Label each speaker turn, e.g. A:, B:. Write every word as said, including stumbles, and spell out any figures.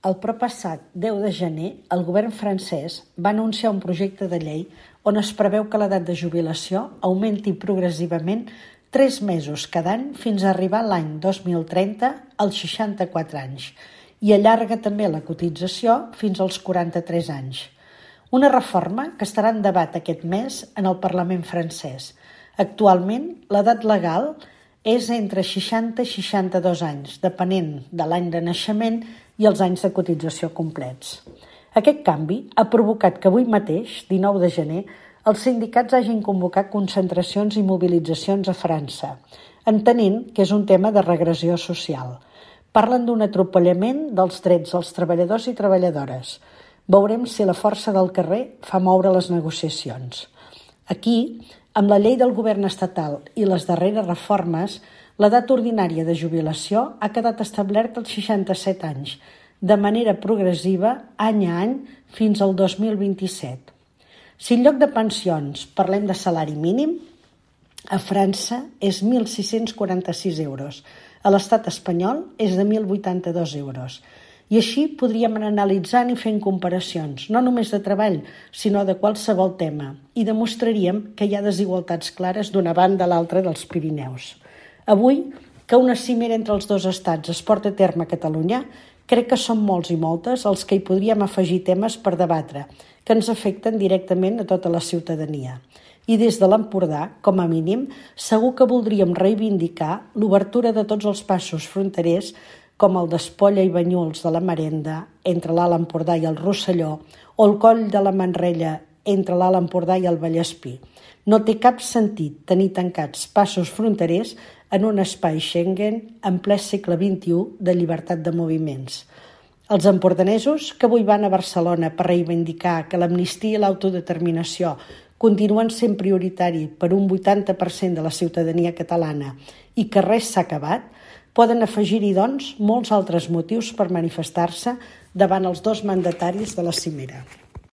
A: El proppassat deu de gener, el govern francès va anunciar un projecte de llei on es preveu que l'edat de jubilació augmenti progressivament tres mesos cada any fins a arribar l'any dos mil trenta als seixanta-quatre anys i allarga també la cotització fins als quaranta-tres anys. Una reforma que estarà en debat aquest mes en el Parlament francès. Actualment, l'edat legal és entre seixanta i seixanta-dos anys, depenent de l'any de naixement i els anys de cotització complets. Aquest canvi ha provocat que avui mateix, dinou de gener, els sindicats hagin convocat concentracions i mobilitzacions a França, entenent que és un tema de regressió social. Parlen d'un atropellament dels drets dels treballadors i treballadores. Veurem si la força del carrer fa moure les negociacions. Aquí, amb la llei del govern estatal i les darreres reformes, l'edat ordinària de jubilació ha quedat establerta als seixanta-set anys, de manera progressiva, any a any, fins al dos mil vint-i-set. Si en lloc de pensions parlem de salari mínim, a França és mil sis-cents quaranta-sis euros, a l'estat espanyol és de mil vuitanta-dos euros. I així podríem anar analitzant i fent comparacions, no només de treball, sinó de qualsevol tema, i demostraríem que hi ha desigualtats clares d'una banda a l'altra dels Pirineus. Avui, que una cimera entre els dos estats es porta a terme a Catalunya, crec que són molts i moltes els que hi podríem afegir temes per debatre, que ens afecten directament a tota la ciutadania. I des de l'Empordà, com a mínim, segur que voldríem reivindicar l'obertura de tots els passos fronterers com el d'Espolla i Banyuls de la Marenda, entre l'Alt Empordà i el Rosselló, o el Coll de la Manrella, entre l'Alt Empordà i el Vallespir. No té cap sentit tenir tancats passos fronterers en un espai Schengen en ple segle vint-i-u de llibertat de moviments. Els empordanesos, que avui van a Barcelona per reivindicar que l'amnistia i l'autodeterminació continuen sent prioritari per un vuitanta per cent de la ciutadania catalana i que res s'ha acabat, poden afegir-hi, doncs, molts altres motius per manifestar-se davant els dos mandataris de la cimera.